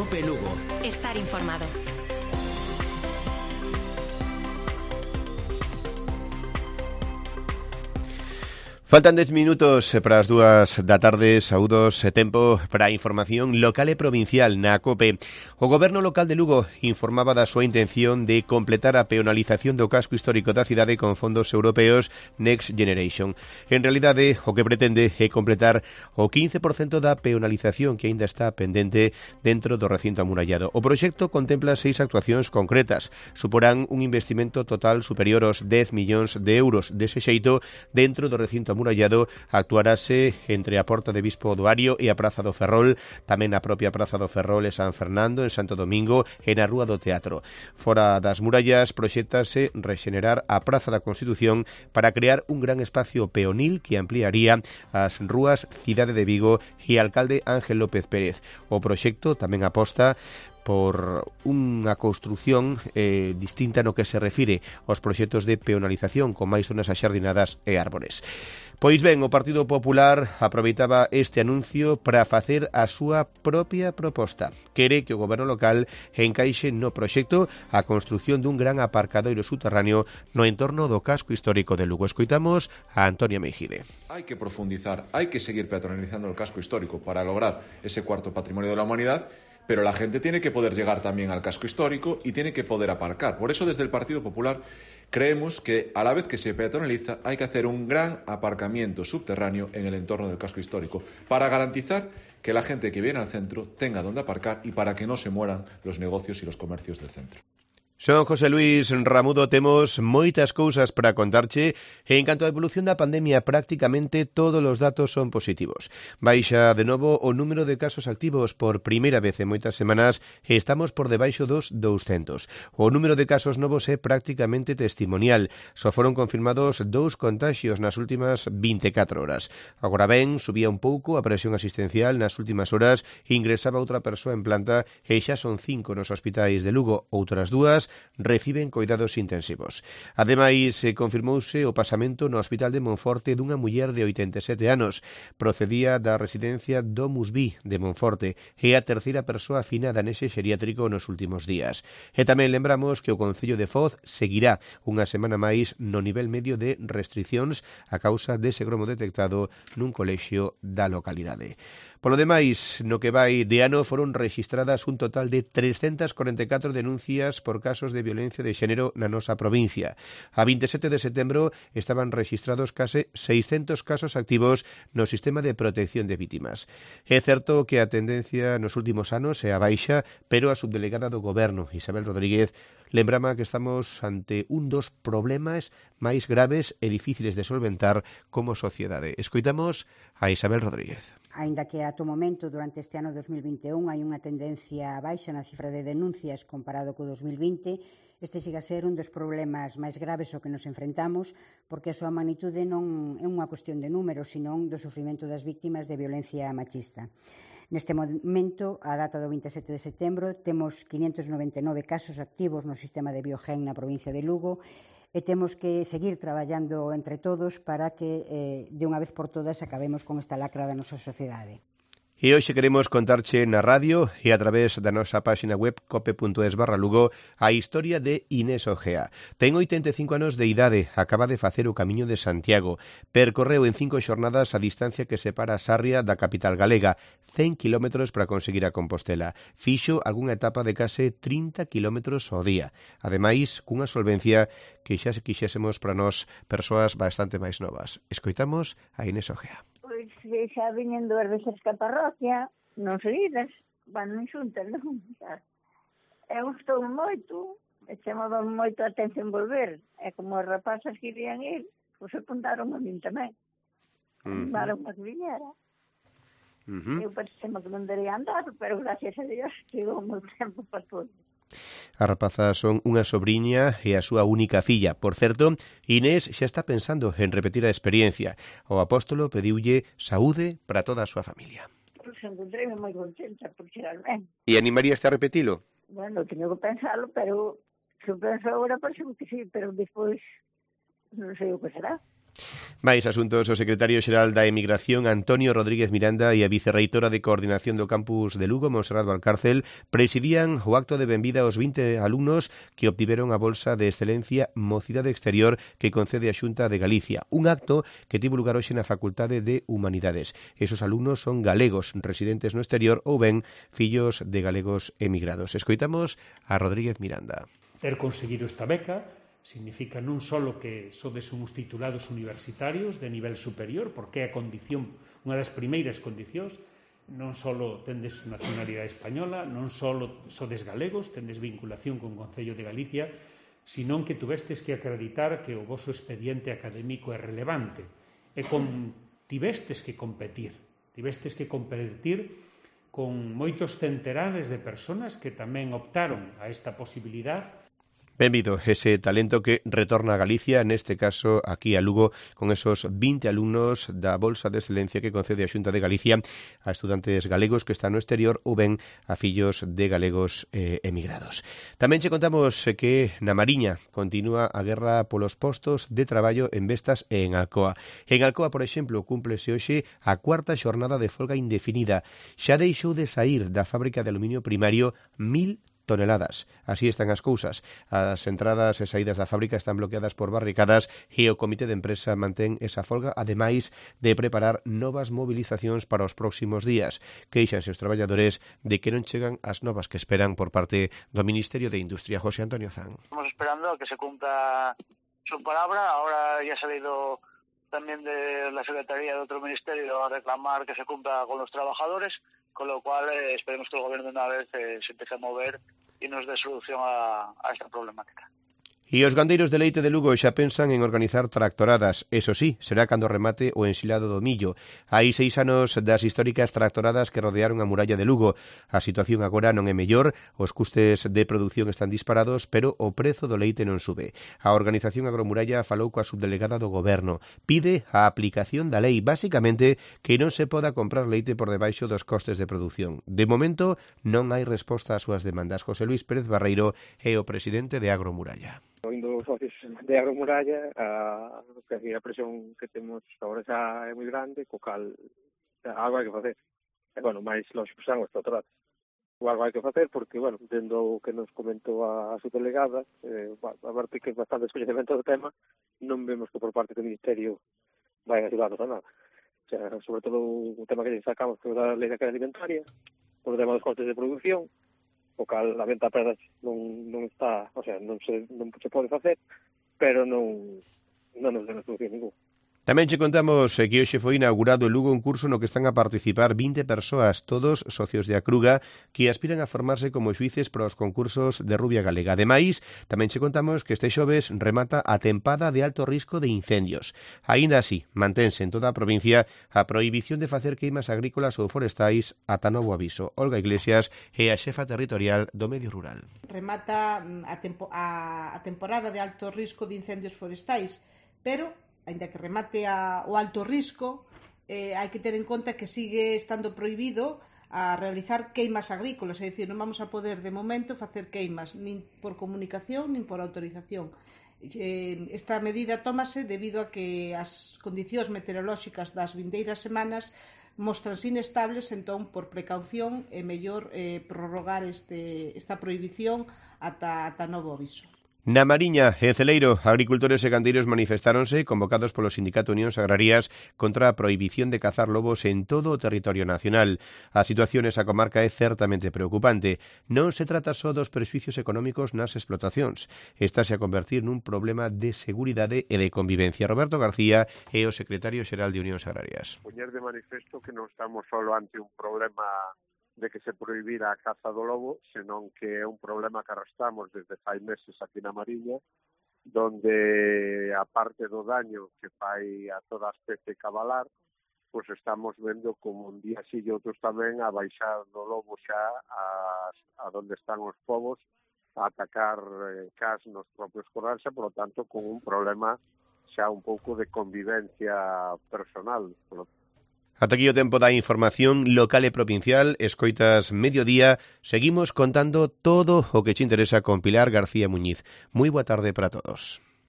COPE Lugo. Estar informado. Faltan 10 minutos para as 2 da tarde. Saúdos e tempo para a información local e provincial na COPE. O Goberno local de Lugo informaba da súa intención de completar a peonalización do casco histórico da cidade con fondos europeos Next Generation. En realidade, o que pretende é completar o 15% da peonalización que aínda está pendente dentro do recinto amurallado. O proxecto contempla 6 actuacións concretas. Suporán un investimento total superior aos 10 millóns de euros. Dese xeito, dentro do recinto amurallado actuarase entre a Porta de Bispo Oduario e a Praza do Ferrol, tamén a propia Praza do Ferrol e San Fernando, en Santo Domingo e na Rúa do Teatro. Fora das murallas, proxéctase rexenerar a Praza da Constitución para crear un gran espacio peonil que ampliaría as rúas Cidade de Vigo e Alcalde Ángel López Pérez. O proxecto tamén aposta por unha construción distinta no que se refire aos proxectos de peonalización con máis zonas axardinadas e árbores. Pois ben, o Partido Popular aproveitaba este anuncio para facer a súa propia proposta. Quere que o goberno local encaixe no proxecto a construción dun gran aparcadoiro subterráneo no entorno do casco histórico de Lugo. Escoitamos a Antonio Meijide. Hai que profundizar, hai que seguir peatonalizando el casco histórico para lograr ese cuarto patrimonio de la humanidad. Pero la gente tiene que poder llegar también al casco histórico y tiene que poder aparcar. Por eso, desde el Partido Popular, creemos que a la vez que se peatonaliza hay que hacer un gran aparcamiento subterráneo en el entorno del casco histórico para garantizar que la gente que viene al centro tenga donde aparcar y para que no se mueran los negocios y los comercios del centro. Son José Luis Ramudo, temos moitas cousas para contarche e en canto á evolución da pandemia prácticamente todos os datos son positivos. Baixa de novo o número de casos activos por primeira vez en moitas semanas e estamos por debaixo dos 200. O número de casos novos é prácticamente testimonial. Só foron confirmados 2 contaxios nas últimas 24 horas. Agora ben, subía un pouco a presión asistencial nas últimas horas, ingresaba outra persoa en planta e xa son 5 nos hospitais de Lugo, outras 2 reciben coidados intensivos. Ademais, confirmouse o pasamento no Hospital de Monforte dunha muller de 87 anos. Procedía da residencia Domus Vi de Monforte e a terceira persoa afinada nese xeriátrico nos últimos días. E tamén lembramos que o Concello de Foz seguirá unha semana máis no nivel medio de restriccións a causa dese gromo detectado nun colexio da localidade. Polo demais, no que vai de ano foron rexistradas un total de 344 denuncias por casos de violencia de xénero na nosa provincia. A 27 de setembro estaban rexistrados case 600 casos activos no sistema de protección de vítimas. É certo que a tendencia nos últimos anos é a baixa, pero a subdelegada do Goberno, Isabel Rodríguez, lembrama que estamos ante un dos problemas máis graves e difíciles de solventar como sociedade. Escoitamos a Isabel Rodríguez. Aínda que ata o momento, durante este ano 2021, hai unha tendencia baixa na cifra de denuncias comparado co 2020, este siga a ser un dos problemas máis graves ao que nos enfrentamos, porque a súa magnitude non é unha cuestión de números, senón do sofrimento das vítimas de violencia machista. Neste momento, a data do 27 de setembro, temos 599 casos activos no sistema de Biogen na provincia de Lugo e temos que seguir traballando entre todos para que, de unha vez por todas, acabemos con esta lacra da nosa sociedade. E hoxe queremos contarche na radio e a través da nosa páxina web cope.es/Lugo a historia de Inés Ojea. Ten 85 anos de idade, acaba de facer o Camiño de Santiago. Percorreu en 5 xornadas a distancia que separa Sarria da capital galega, 100 kilómetros para conseguir a Compostela. Fixo algunha etapa de case 30 kilómetros ao día. Ademais, cunha solvencia que xa se quixésemos para nós persoas bastante máis novas. Escoitamos a Inés Ojea. Pois xa viñen 2 veces que a parroquia, non seguidas, van xuntas, non? Eu estou moito, e chamaba moito a atención volver, e como as rapazas que irían ir, pois apuntaron a min tamén. Animaron a que viñera. Eu pensei que non debería andar, pero gracias a Dios chegou moi tempo para todo. As rapazas son unha sobriña e a súa única filla. Por certo, Inés xa está pensando en repetir a experiencia. O apóstolo pediulle saúde para toda a súa familia. Pois encontrei moi contenta por chegar ben. E animaríaste a repetilo? Bueno, teño que pensarlo, pero se eu penso agora, parece que sí, pero despois non sei o que será. Máis asuntos, o secretario xeral da Emigración, Antonio Rodríguez Miranda, e a vicerreitora de Coordinación do Campus de Lugo, Monserrat Valcárcel, presidían o acto de benvida aos 20 alumnos que obtiveron a Bolsa de Excelencia Mocidade Exterior que concede a Xunta de Galicia. Un acto que tivo lugar hoxe na Facultade de Humanidades. Esos alumnos son galegos residentes no exterior ou ben fillos de galegos emigrados. Escoitamos a Rodríguez Miranda. Ter conseguido esta beca significa non só que sodes uns titulados universitarios de nivel superior, porque é a condición, unha das primeiras condicións, non só tendes nacionalidade española, non só sodes galegos, tendes vinculación con o Concello de Galicia, senón que tuvestes que acreditar que o voso expediente académico é relevante. E tivestes que competir con moitos centenares de persoas que tamén optaron a esta posibilidade. Benvido ese talento que retorna a Galicia, neste caso aquí a Lugo, con esos 20 alumnos da Bolsa de Excelencia que concede a Xunta de Galicia a estudantes galegos que están no exterior ou ben a fillos de galegos emigrados. Tamén che contamos que na Mariña continúa a guerra polos postos de traballo en Vestas e en Alcoa. En Alcoa, por exemplo, cúmplese hoxe a cuarta xornada de folga indefinida. Xa deixou de saír da fábrica de aluminio primario 1000 toneladas. Así están as cousas. As entradas e saídas da fábrica están bloqueadas por barricadas e o comité de empresa mantén esa folga, ademais de preparar novas movilizacións para os próximos días. Queixanse os traballadores de que non chegan as novas que esperan por parte do Ministerio de Industria. José Antonio Zan. Estamos esperando a que se cumpla su palabra. Ahora ya ha salido también de la Secretaría de otro ministerio a reclamar que se cumpla con los trabajadores, con lo cual esperemos que el Gobierno de una vez se empiece a mover y nos dé solución a esta problemática. E os gandeiros de leite de Lugo xa pensan en organizar tractoradas. Eso sí, será cando remate o ensilado do millo. Hai 6 anos das históricas tractoradas que rodearon a muralla de Lugo. A situación agora non é mellor, os custes de produción están disparados, pero o prezo do leite non sube. A organización Agromuralla falou coa subdelegada do Goberno. Pide a aplicación da lei, basicamente que non se poda comprar leite por debaixo dos costes de produción. De momento, non hai resposta ás súas demandas. José Luis Pérez Barreiro é o presidente de Agromuralla. Oindo os socios de Agromuralla, a presión que temos agora xa é moi grande, co cal algo hai que facer. E, bueno, máis lógico son os tractoradas. Algo hai que facer porque, bueno, dentro o que nos comentou a subdelegada, a parte que é bastante descoñecemento do tema, non vemos que por parte do Ministerio vai ayudarnos a nada. O sea, sobre todo o tema que sacamos que da lei da cadea alimentaria, o tema dos costes de produción, o cal a venta a perdas non está, o sea, non se pode facer, pero non nos dá solución ningún. Tamén che contamos que hoxe foi inaugurado en Lugo un curso no que están a participar 20 persoas, todos socios de Acruga, que aspiran a formarse como xuíces para os concursos de Rubia Galega. Ademais, tamén che contamos que este xoves remata a tempada de alto risco de incendios. Aínda así, mantense en toda a provincia a prohibición de facer queimas agrícolas ou forestais ata novo aviso. Olga Iglesias é a xefa territorial do Medio Rural. Remata a temporada de alto risco de incendios forestais, pero aínda que remate o alto risco, hai que ter en conta que sigue estando prohibido a realizar queimas agrícolas, é dicir, non vamos a poder de momento facer queimas nin por comunicación nin por autorización. Esta medida tómase debido a que as condicións meteorolóxicas das vindeiras semanas mostranse inestables, entón, por precaución, é mellor prorrogar esta prohibición ata novo aviso. Na Mariña, en Celeiro, agricultores e gandeiros manifestáronse convocados polo Sindicato Unións Agrarias contra a prohibición de cazar lobos en todo o territorio nacional. A situación nesa comarca é certamente preocupante. Non se trata só dos prexuicios económicos nas explotacións. Estase a convertir nun problema de seguridade e de convivencia. Roberto García é o secretario xeral de Unións Agrarias. Poñer de manifesto que non estamos só ante un problema de que se prohibira a caza do lobo, senón que é un problema que arrastramos desde fai meses aquí na Mariña, donde, a parte do daño que fai a toda a especie cabalar, pois estamos vendo como un día sí e outros tamén a baixar do lobo xa a donde están os povos, a atacar cas nos propios corrais, e, por lo tanto, con un problema xa un pouco de convivencia personal. Ata aquí o tempo da información local e provincial. Escoitas Mediodía. Seguimos contando todo o que te interesa con Pilar García Muñiz. Moi boa tarde para todos.